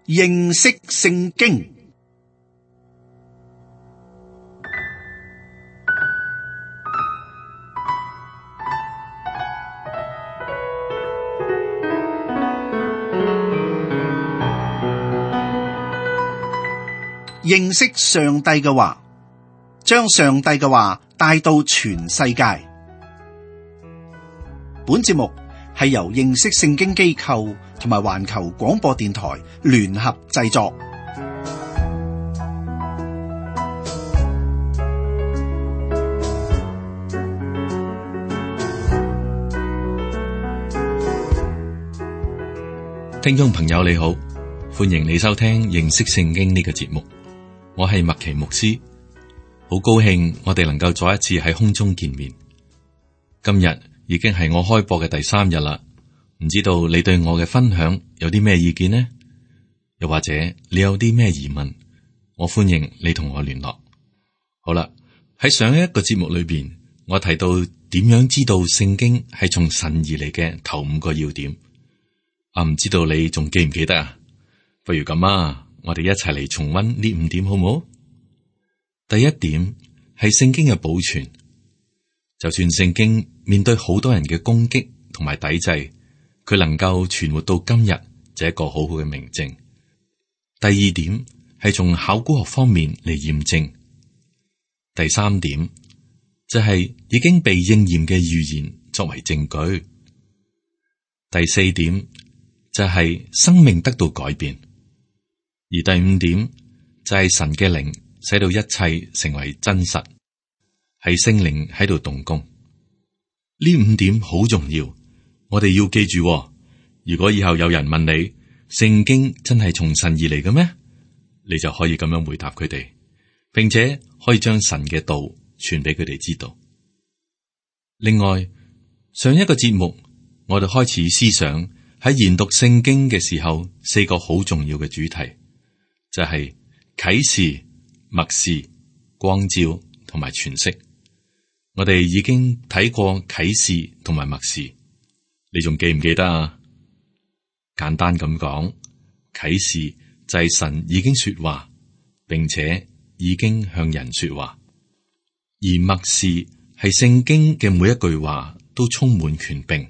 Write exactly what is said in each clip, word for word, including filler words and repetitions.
認識聖經。認識上帝嘅話，將上帝嘅話帶到全世界。本節目係由認識聖經機構同埋環球廣播電台聯合製作。聽眾朋友你好，歡迎你收聽認識聖經呢個節目。我係麥奇牧師，好高興我哋能夠再一次喺空中見面。今日已經係我開播嘅第三日啦，唔知道你對我嘅分享有啲咩意見呢？又或者你有啲咩疑問，我歡迎你同我聯絡。好啦，喺上一個節目裏邊，我提到點樣知道聖經係從神而嚟嘅頭五個要點。啊，唔知道你仲記唔記得啊？不如咁啊。我哋一齊嚟重溫呢五點好唔好？第一點係聖經嘅保存，就算聖經面對好多人嘅攻擊同埋抵制，佢能夠存活到今日，就係一個好好嘅明證。第二點係從考古學方面嚟驗證。第三點就係已經被應驗嘅預言作為證據。第四點就係生命得到改變。而第五點就係神嘅靈使到一切成為真實，係聖靈喺度動工。呢五點好重要，我哋要記住。如果以後有人問你聖經真係從神而嚟嘅咩，你就可以咁樣回答佢哋，並且可以將神嘅道傳俾佢哋知道。另外，上一個節目我哋開始思想喺研讀聖經嘅時候，四個好重要嘅主題。就係啟示、默示、光照同埋詮釋。我哋已經睇過啟示同埋默示，你仲記唔記得啊？簡單咁講，啟示就係神已經說話，並且已經向人說話；而默示係聖經嘅每一句話都充滿權柄，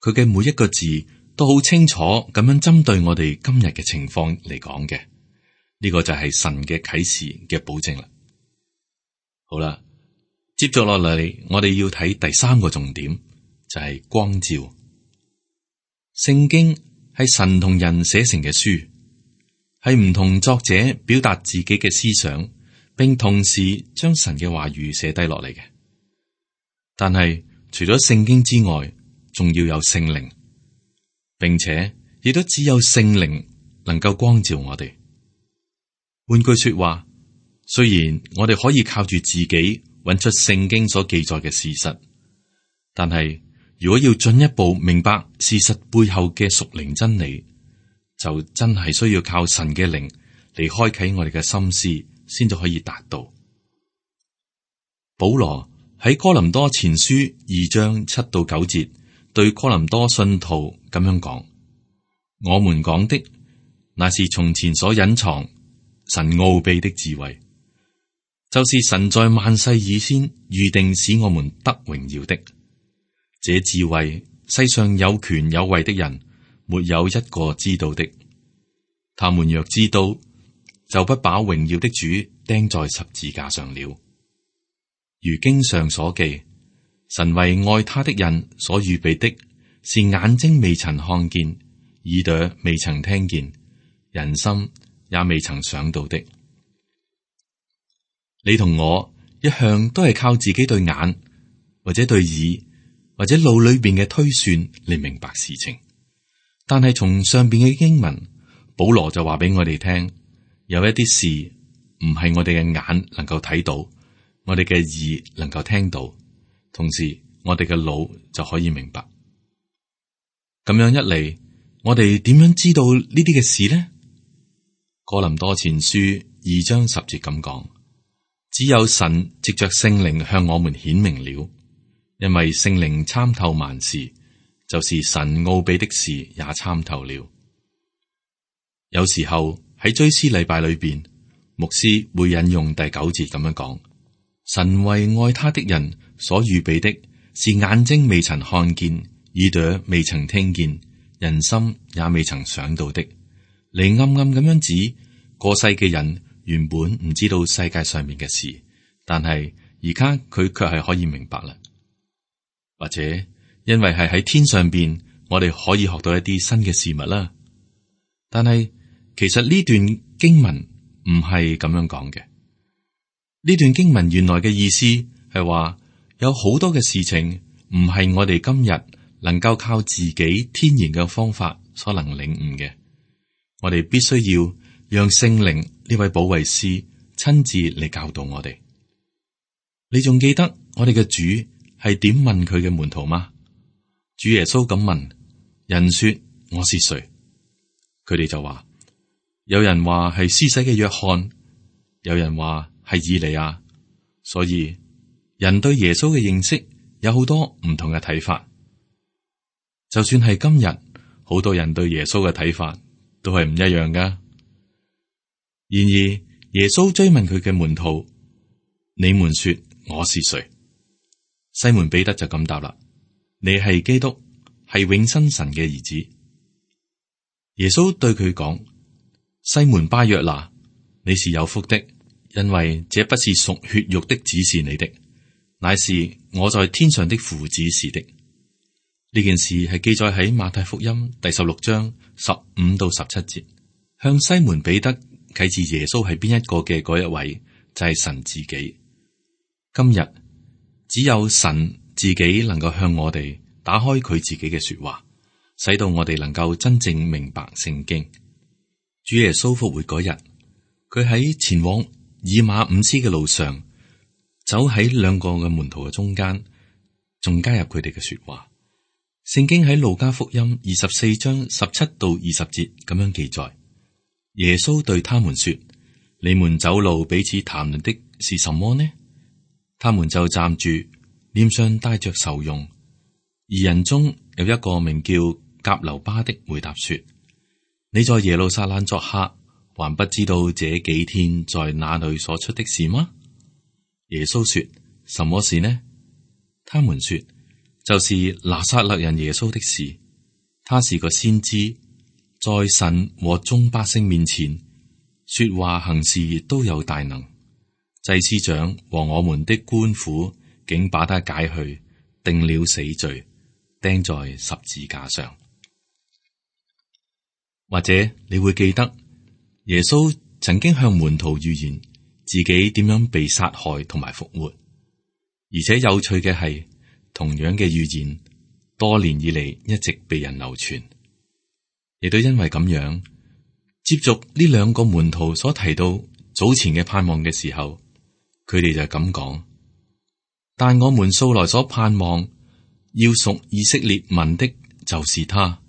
佢嘅每一個字都好清楚咁樣針對我哋今日嘅情況嚟講嘅。呢個就係神嘅啟示嘅保證啦。好啦，接續落嚟，我哋要睇第三個重點，就係光照。聖經係神同人寫成嘅書，係唔同作者表達自己嘅思想，並同時將神嘅話語寫低落嚟嘅。但係除咗聖經之外，仲要有聖靈，並且亦都只有聖靈能夠光照我哋。換句說話，雖然我哋可以靠住自己揾出聖經所記載嘅事實，但係如果要進一步明白事實背後嘅屬靈真理，就真係需要靠神嘅靈嚟開啟我哋嘅心思，先至可以達到。保羅喺哥林多前書二章七到九節對哥林多信徒咁樣講：我們講的那是從前所隱藏神奧秘的智慧，就是神在萬世以先預定使我們得榮耀的。這智慧世上有權有位的人沒有一個知道的。他們若知道，就不把榮耀的主釘在十字架上了。如經上所記，神為愛他的人所預備的，是眼睛未曾看見，耳朵未曾聽見，人心也未曾想到的。你同我一向都係靠自己對眼或者對耳或者腦裏邊嘅推算嚟明白事情，但係從上邊嘅經文，保羅就話俾我哋聽，有一啲事唔係我哋嘅眼能夠睇到，我哋嘅耳能夠聽到，同時我哋嘅腦就可以明白。咁樣一嚟，我哋點樣知道呢啲嘅事呢？哥林多前書二章十節咁講，只有神藉着聖靈向我們顯明了，因為聖靈參透萬事，就是神奧秘的事也參透了。有時候喺追思禮拜裏邊，牧師會引用第九節咁樣講：神為愛他的人所預備的，是眼睛未曾看見，耳朵未曾聽見，人心也未曾想到的。你暗暗咁樣指過世嘅人原本唔知道世界上面嘅事，但係而家佢卻係可以明白啦。或者因為係喺天上邊，我哋可以學到一啲新嘅事物啦。但係其實呢段經文唔係咁樣講嘅。呢段經文原來嘅意思係話，有好多嘅事情唔係我哋今日能夠靠自己天然嘅方法所能領悟嘅。我哋必須要讓聖靈呢位保惠師親自嚟教導我哋。你仲記得我哋嘅主係點問佢嘅門徒嗎？主耶穌咁問：人說我是誰？佢哋就話：有人話係施洗嘅約翰，有人話係以利亞。所以人對耶穌嘅認識有好多唔同嘅睇法。就算係今日，好多人對耶穌嘅睇法都係唔一樣噶。然而耶穌追問佢嘅門徒：你們說我是誰？西門彼得就咁答啦：你係基督，係永生神嘅兒子。耶穌對佢講：西門巴約拿，你是有福的，因為這不是屬血肉的指示你的，乃是我在天上的父指示的。呢件事係記載喺馬太福音第十六章十五到十七節，向西門彼得啟示耶穌係邊一個嘅嗰一位，就係神自己。今日只有神自己能夠向我哋打開佢自己嘅說話，使到我哋能夠真正明白聖經。主耶穌復活嗰日，佢喺前往以馬忤斯嘅路上，走喺兩個嘅門徒嘅中間，仲加入佢哋嘅說話。聖經喺路加福音二十四章十七到二十節咁樣記載：耶穌對他們說：你們走路彼此談論的是什麼呢？他們就站住，臉上帶着愁容。二人中有一個名叫革流巴的回答說：你在耶路撒冷作客，還不知道這幾天在哪裏所出的事嗎？耶穌說：什麼事呢？他們說：就是拿撒勒人耶穌的事。他是個先知，在神和眾百姓面前說話行事都有大能。祭司長和我們的官府竟把他解去，定了死罪，釘在十字架上。或者你會記得耶穌曾經向門徒預言自己點樣被殺害同埋復活，而且有趣嘅係，同樣嘅預言多年以嚟一直被人流傳，亦都因為咁樣，接續呢兩個門徒所提到早前嘅盼望嘅時候，佢哋就咁講：但我們素來所盼望要屬以色列民的，就是他。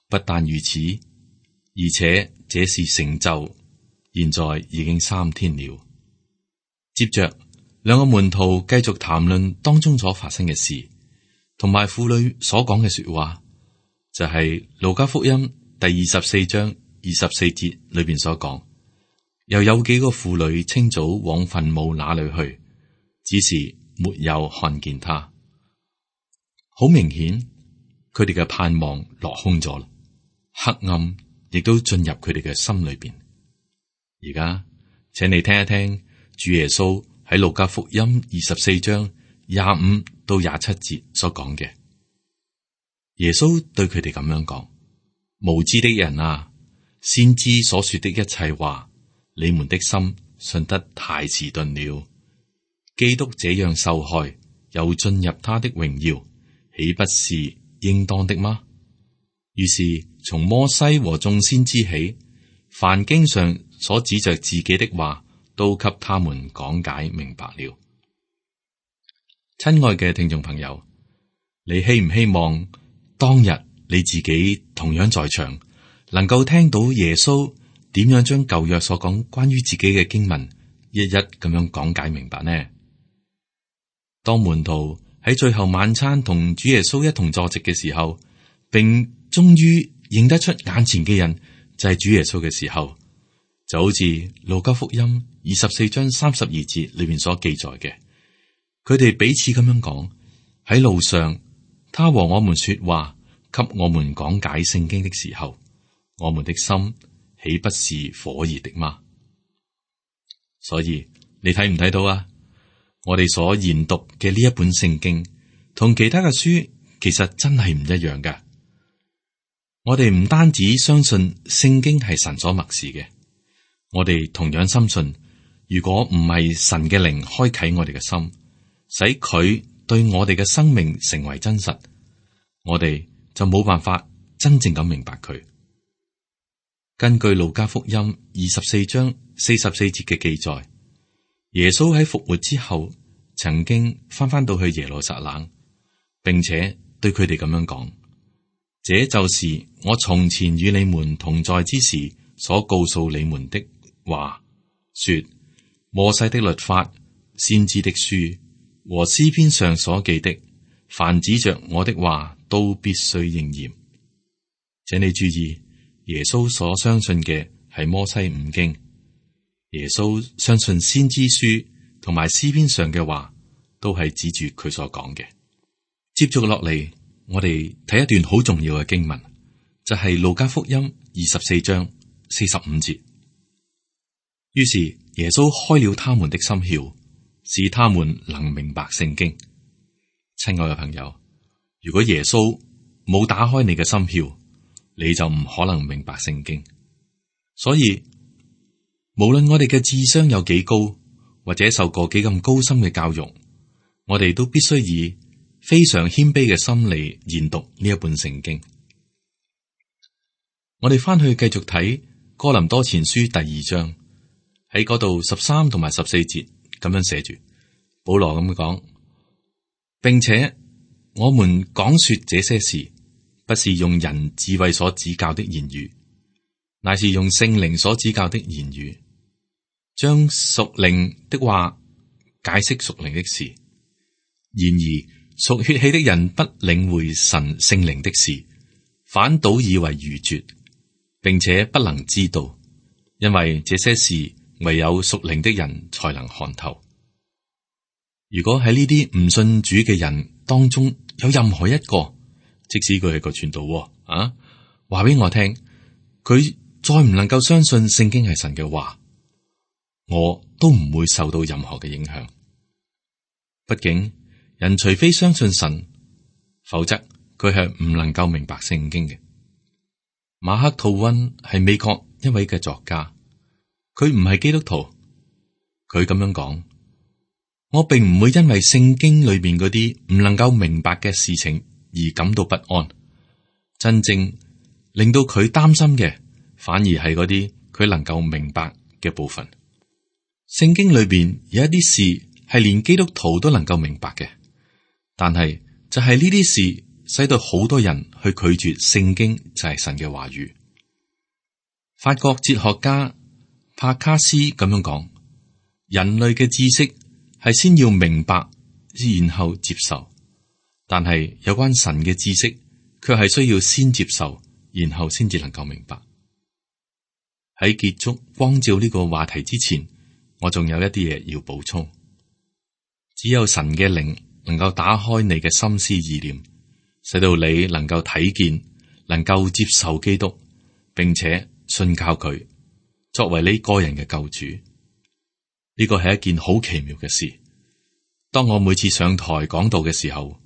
不但如此，而且這是成就，現在已經三天了。接着兩個門徒繼續談論當中所發生嘅事，同埋婦女所講嘅說話，就係路加福音第二十四章二十四節裏邊所講。又有幾個婦女清早往墳墓那裏去，只是沒有看見他。好明顯，佢哋嘅盼望落空咗啦，黑暗亦都進入佢哋嘅心裏邊。而家，請你聽一聽主耶穌喺路加福音二十四章廿五到廿七節所講嘅。耶穌對佢哋咁樣講：無知的人啊，先知所說的一切話，你們的心信得太遲鈍了。基督這樣受害，又進入他的榮耀，豈不是應當的嗎？於是從摩西和眾先知起，凡經上所指着自己的話，都給他們講解明白了。親愛嘅聽眾朋友，你希唔希望當日你自己同樣在場，能夠聽到耶穌點樣將舊約所講關於自己嘅經文一一咁樣講解明白呢？當門徒喺最後晚餐同主耶穌一同坐席嘅時候，並終於認得出眼前嘅人就係主耶穌嘅時候，就好似路加福音二十四章三十二節裏面所記載嘅，佢哋彼此咁樣講：喺路上，他和我們說話，給我們講解聖經的時候，我們的心豈不是火熱的嗎？所以你睇唔睇到啊？我哋所研讀嘅呢一本聖經，同其他嘅書其實真係唔一樣㗎。我哋唔單止相信聖經係神所默示嘅，我哋同樣深信，如果唔係神嘅靈開啟我哋嘅心，使佢對我哋嘅生命成為真實，我哋就冇辦法真正咁明白佢。根據路加福音二十四章四十四節嘅記載，耶穌喺復活之後，曾經翻返到去耶路撒冷，並且對佢哋咁樣講：這就是我從前與你們同在之時所告訴你們的話，說摩西的律法、先知的書和詩篇上所記的，凡指着我的話，都必須應驗。請你注意，耶穌所相信嘅係摩西五經，耶穌相信先知書同埋詩篇上嘅話，都係指住佢所講嘅。接續落嚟，我哋睇一段好重要嘅經文，就係、是、路加福音二十四章四十五節。於是耶穌開了他們的心竅，使他們能明白聖經。親愛嘅朋友，如果耶穌冇打開你嘅心竅，你就唔可能明白聖經。所以無論我哋嘅智商有幾高，或者受過幾咁高深嘅教育，我哋都必須以非常謙卑嘅心嚟研讀呢一本聖經。我哋翻去繼續睇哥林多前書第二章，喺嗰度十三同埋十四節咁樣寫住，保羅咁講，並且我們講說這些事，不是用人智慧所指教的言語，乃是用聖靈所指教的言語，將屬靈的話解釋屬靈的事。然而屬血氣的人不領會神聖靈的事，反倒以為愚拙，並且不能知道，因為這些事唯有屬靈的人才能看透。如果喺呢啲唔信主嘅人當中有任何一個，即使佢係個傳道啊，話俾我聽，佢再唔能夠相信聖經係神嘅話，我都唔會受到任何嘅影響。畢竟人除非相信神，否則佢係唔能夠明白聖經嘅。馬克吐溫係美國一位嘅作家，佢唔係基督徒，佢咁樣講：我並唔會因為聖經裏邊嗰啲唔能夠明白嘅事情而感到不安，真正令到佢擔心嘅，反而係嗰啲佢能夠明白嘅部分。聖經裏邊有一啲事係連基督徒都能夠明白嘅，但係就係呢啲事使到好多人去拒絕聖經就係神嘅話語。法國哲學家帕卡斯咁樣講：人類嘅知識係先要明白，然後接受。但係有關神嘅知識，卻係需要先接受，然後先至能夠明白。喺結束光照呢個話題之前，我仲有一啲嘢要補充。只有神嘅靈能夠打開你嘅心思意念，使到你能夠睇見，能夠接受基督，並且信靠佢作為你個人嘅救主。呢個係一件好奇妙嘅事。當我每次上台講道嘅時候，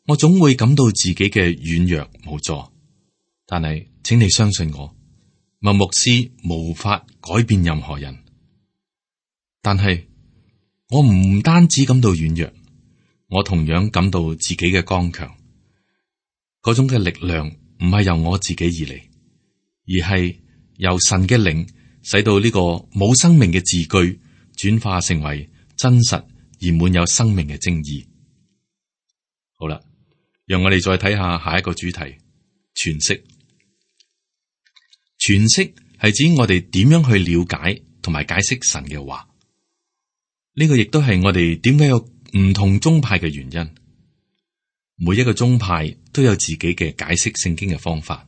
我總會感到自己嘅軟弱無助，但係請你相信我，麥牧師無法改變任何人。但係我唔單止感到軟弱，我同樣感到自己嘅剛強。嗰種嘅力量唔係由我自己而嚟，而係由神嘅靈使到呢個冇生命嘅字句轉化成為真實而滿有生命嘅精義。好啦，讓我哋再睇下下一個主題：詮釋。詮釋係指我哋點樣去了解同埋解釋神嘅話。呢個亦都係我哋點解有唔同宗派嘅原因。每一個宗派都有自己嘅解釋聖經嘅方法，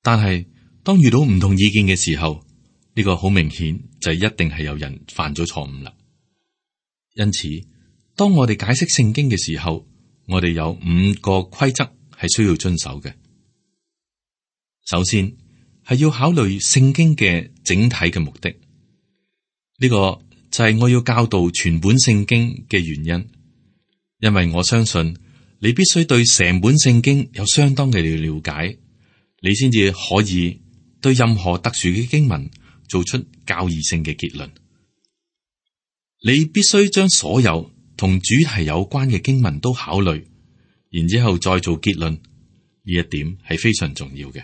但係當遇到唔同意見嘅時候，呢個好明顯就係一定係有人犯咗錯誤啦。因此，當我哋解釋聖經嘅時候，我哋有五個規則係需要遵守嘅。首先係要考慮聖經嘅整體嘅目的，呢個就係我要教導全本聖經嘅原因。因為我相信你必須對成本聖經有相當嘅了解，你先至可以對任何特殊嘅經文做出教義性嘅結論。你必須將所有同主題有關嘅經文都考慮，然之後再做結論。呢一點係非常重要嘅。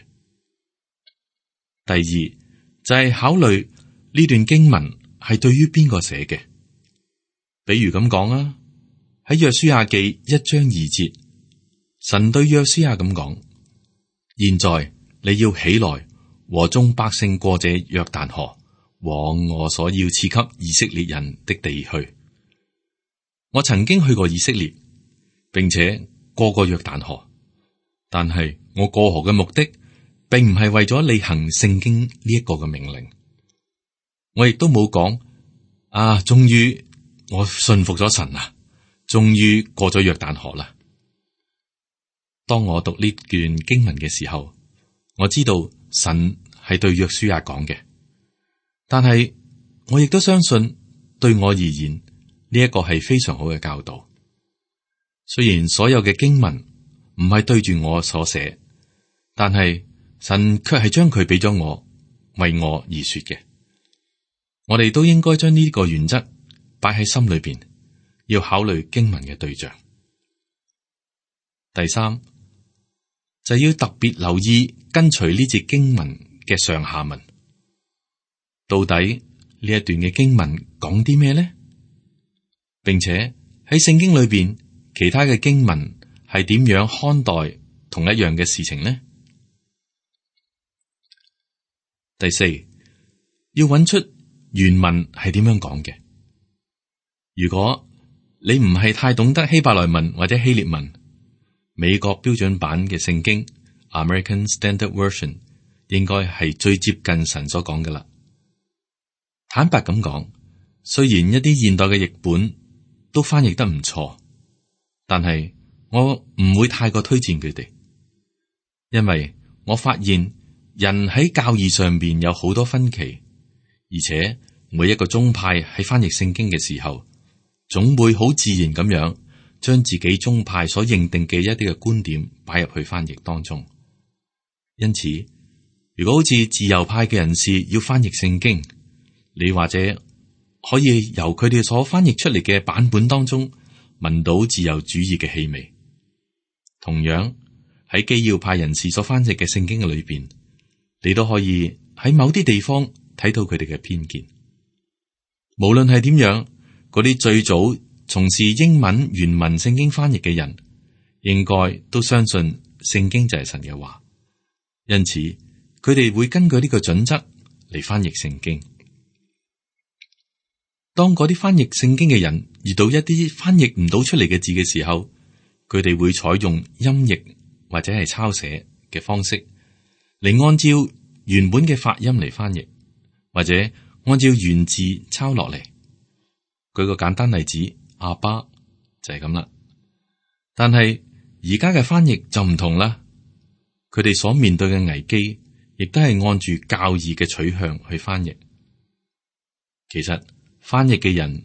第二就係考慮呢段經文係對於邊個寫嘅。比如咁講啊，喺約書亞記一章二節，神對約書亞咁講：現在你要起來，和眾百姓過這約旦河，往我所要賜給以色列人的地去。我曾經去過以色列，並且過過約旦河，但係我過河嘅目的，並唔係為咗履行聖經呢一個嘅命令。我亦都冇講啊，終於我信服咗神啊，終於過咗約旦河啦。當我讀呢段經文嘅時候，我知道神係對約書亞講嘅，但係我亦都相信對我而言呢一個係非常好嘅教導。雖然所有嘅經文唔係對住我所寫，但係神卻係將佢俾咗我，為我而說嘅。我哋都應該將呢個原則擺喺心裏邊，要考慮經文嘅對象。第三就要特別留意跟隨呢節經文嘅上下文，到底呢一段嘅經文講啲咩呢？並且喺聖經裏邊其他嘅經文係點樣看待同一樣嘅事情呢？第四，要揾出原文係點樣講嘅。如果你唔係太懂得希伯來文或者希臘文，美國標準版嘅聖經 American Standard Version 應該係最接近神所講嘅啦。坦白咁講，雖然一啲現代嘅譯本都翻譯得唔錯，但係我唔會太過推薦佢哋，因為我發現人喺教義上邊有好多分歧，而且每一個宗派喺翻譯聖經嘅時候，總會好自然咁樣將自己宗派所認定嘅一啲嘅觀點擺入去翻譯當中。因此，如果好似自由派嘅人士要翻譯聖經，你或者可以由佢哋所翻譯出嚟嘅版本當中聞到自由主義嘅氣味。同樣喺基要派人士所翻譯嘅聖經嘅裏邊，你都可以喺某啲地方睇到佢哋嘅偏見。無論係點樣，嗰啲最早從事英文原文聖經翻譯嘅人，應該都相信聖經就係神嘅話，因此佢哋會根據呢個準則嚟翻譯聖經。當嗰啲翻譯聖經嘅人遇到一啲翻譯唔到出嚟嘅字嘅時候，佢哋會採用音譯或者係抄寫嘅方式嚟按照原本嘅發音嚟翻譯，或者按照原字抄落嚟。舉個簡單例子，阿爸就係咁啦。但係而家嘅翻譯就唔同啦，佢哋所面對嘅危機，亦都係按住教義嘅取向去翻譯。其實翻譯嘅人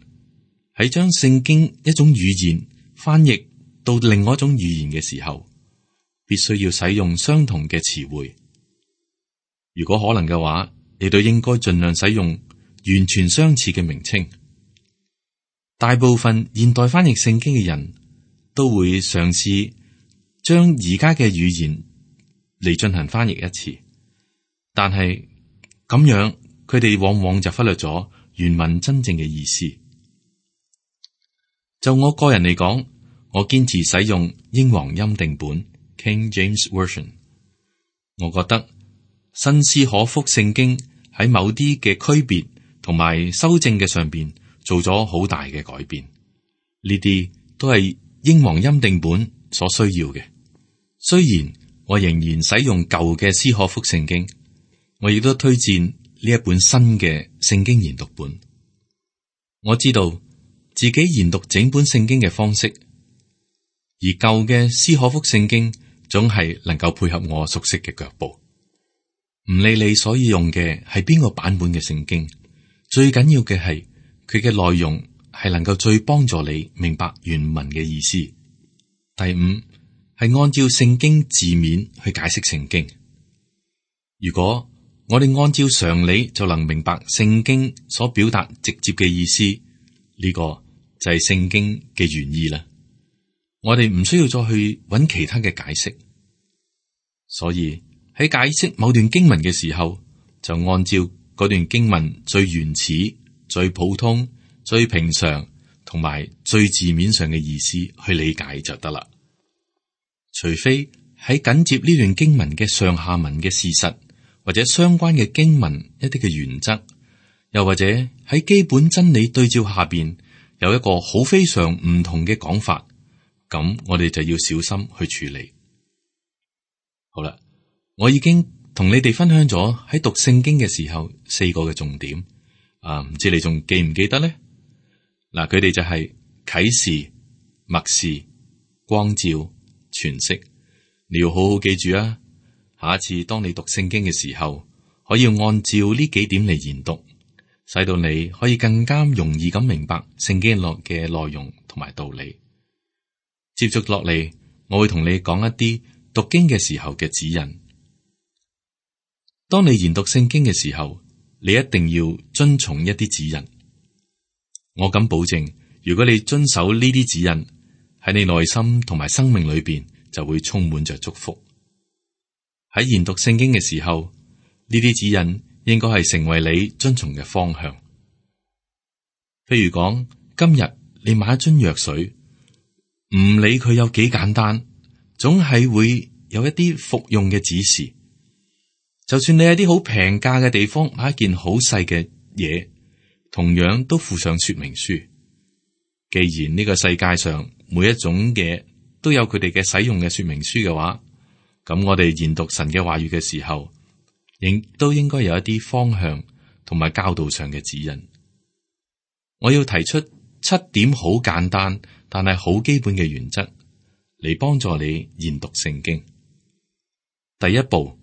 喺將聖經一種語言翻譯到另外一種語言嘅時候，必須要使用相同嘅詞彙。如果可能嘅話，你都應該盡量使用完全相似嘅名稱。大部分現代翻譯聖經嘅人都會嘗試將而家嘅語言嚟進行翻譯一次，但係咁樣佢哋往往就忽略咗原文真正嘅意思。就我個人嚟講，我堅持使用英皇欽定本 King James Version。我覺得新斯可福聖經喺某啲嘅區別同埋修正嘅上邊做咗好大嘅改變，呢啲都係英皇欽定本所需要嘅。雖然我仍然使用舊嘅斯可福聖經，我亦都推薦呢一本新嘅聖經研讀本。我知道自己研讀整本聖經嘅方式，而舊嘅斯可福聖經總係能夠配合我熟悉嘅腳步。唔理你所用嘅係邊個版本嘅聖經，最緊要嘅係佢嘅內容係能夠最幫助你明白原文嘅意思。第五係按照聖經字面去解釋聖經。如果我哋按照常理就能明白聖經所表達直接嘅意思，呢個就係聖經嘅原意啦。我哋唔需要再去揾其他嘅解釋。所以喺解釋某段經文嘅時候，就按照嗰段經文最原始、最普通、最平常同埋最字面上嘅意思去理解就得啦。除非喺緊接呢段經文嘅上下文嘅事實，或者相關嘅經文一啲嘅原則，又或者喺基本真理對照下邊有一個好非常唔同嘅講法，咁我哋就要小心去處理。好啦，我已經同你哋分享咗喺讀聖經嘅時候四個嘅重點，啊，唔知你仲記唔記得咧？嗱，佢哋就係啟示、默示、光照、詮釋。你要好好記住啊！下一次當你讀聖經嘅時候，可以按照呢幾點嚟研讀，使到你可以更加容易咁明白聖經落嘅內容同埋道理。接續落嚟，我會同你講一啲讀經嘅時候嘅指引。當你研讀聖經嘅時候，你一定要遵從一啲指引。我敢保證，如果你遵守呢啲指引，喺你內心同埋生命裏邊就會充滿着祝福。喺研讀聖經嘅時候，呢啲指引應該係成為你遵從嘅方向。譬如講，今日你買一樽藥水，唔理佢有幾簡單，總係會有一啲服用嘅指示。就算你喺啲好平價嘅地方買一件好細嘅嘢，同樣都附上說明書。既然呢個世界上每一種嘢都有佢哋嘅使用嘅說明書嘅話，咁我哋研讀神嘅話語嘅時候，亦都應該有一啲方向同埋教導上嘅指引。我要提出七點好簡單但係好基本嘅原則嚟幫助你研讀聖經。第一步，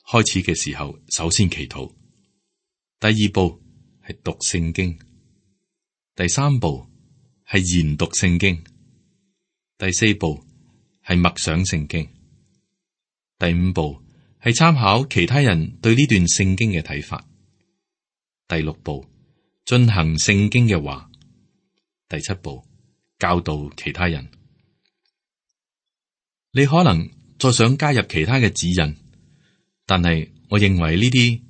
開始嘅時候首先祈禱。第二步係讀聖經。第三步係研讀聖經。第四步係默想聖經。第五步係參考其他人對呢段聖經嘅睇法。第六步進行聖經嘅話。第七步教導其他人。你可能再想加入其他嘅指引，但係我認為呢啲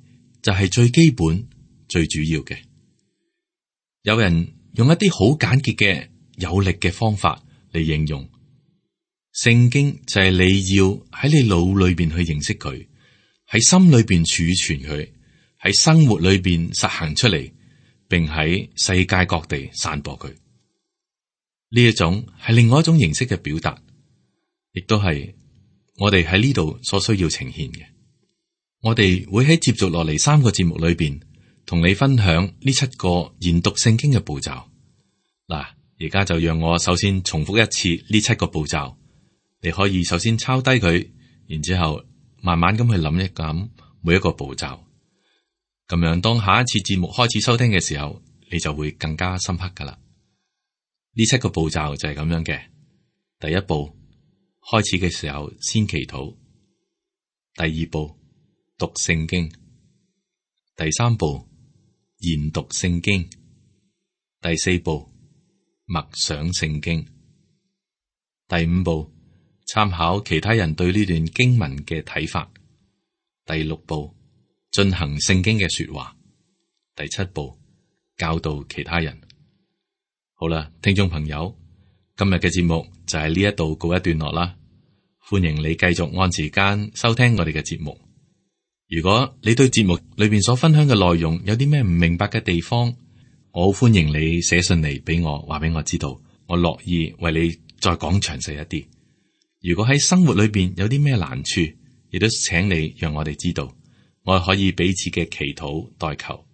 就係最基本、最主要嘅。有人用一啲好簡潔嘅有力嘅方法嚟形容聖經，就係你要喺你腦裏邊去認識佢，喺心裏邊儲存佢，喺生活裏邊實行出嚟，並喺世界各地散播佢。呢一種係另外一種形式嘅表達，亦都係我哋喺呢度所需要呈現嘅。我哋會喺接續落嚟三個節目裏邊，同你分享呢七個研讀聖經嘅步驟。嗱，而家就讓我首先重複一次呢七個步驟。你可以首先抄低佢，然之後慢慢咁去諗一諗每一個步驟。咁樣當下一次節目開始收聽嘅時候，你就會更加深刻噶啦。呢七個步驟就係咁樣嘅。第一步，開始嘅時候先祈禱。第二步，讀聖經。第三步，研讀聖經。第四步，默想聖經。第五步，參考其他人對呢段經文嘅睇法。第六步，進行聖經嘅說話。第七步，教導其他人。好啦，聽眾朋友，今日嘅節目就係呢一度告一段落啦。歡迎你繼續按時間收聽我哋嘅節目。如果你對節目裏邊所分享嘅內容有啲咩唔明白嘅地方，我好歡迎你寫信嚟俾我，話俾我知道，我樂意為你再講詳細一啲。如果喺生活裏邊有啲咩難處，亦都請你讓我哋知道，我可以彼此嘅祈禱代求。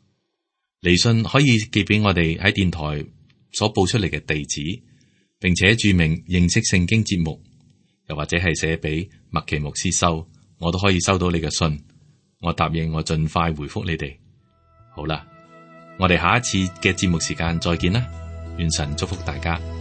嚟信可以寄俾我哋喺電台所報出嚟嘅地址，並且注明認識聖經節目，又或者係寫俾麥奇牧師收，我都可以收到你嘅信。我答應我盡快回覆你哋。好啦，我哋下一次嘅節目時間再見啦，願神祝福大家。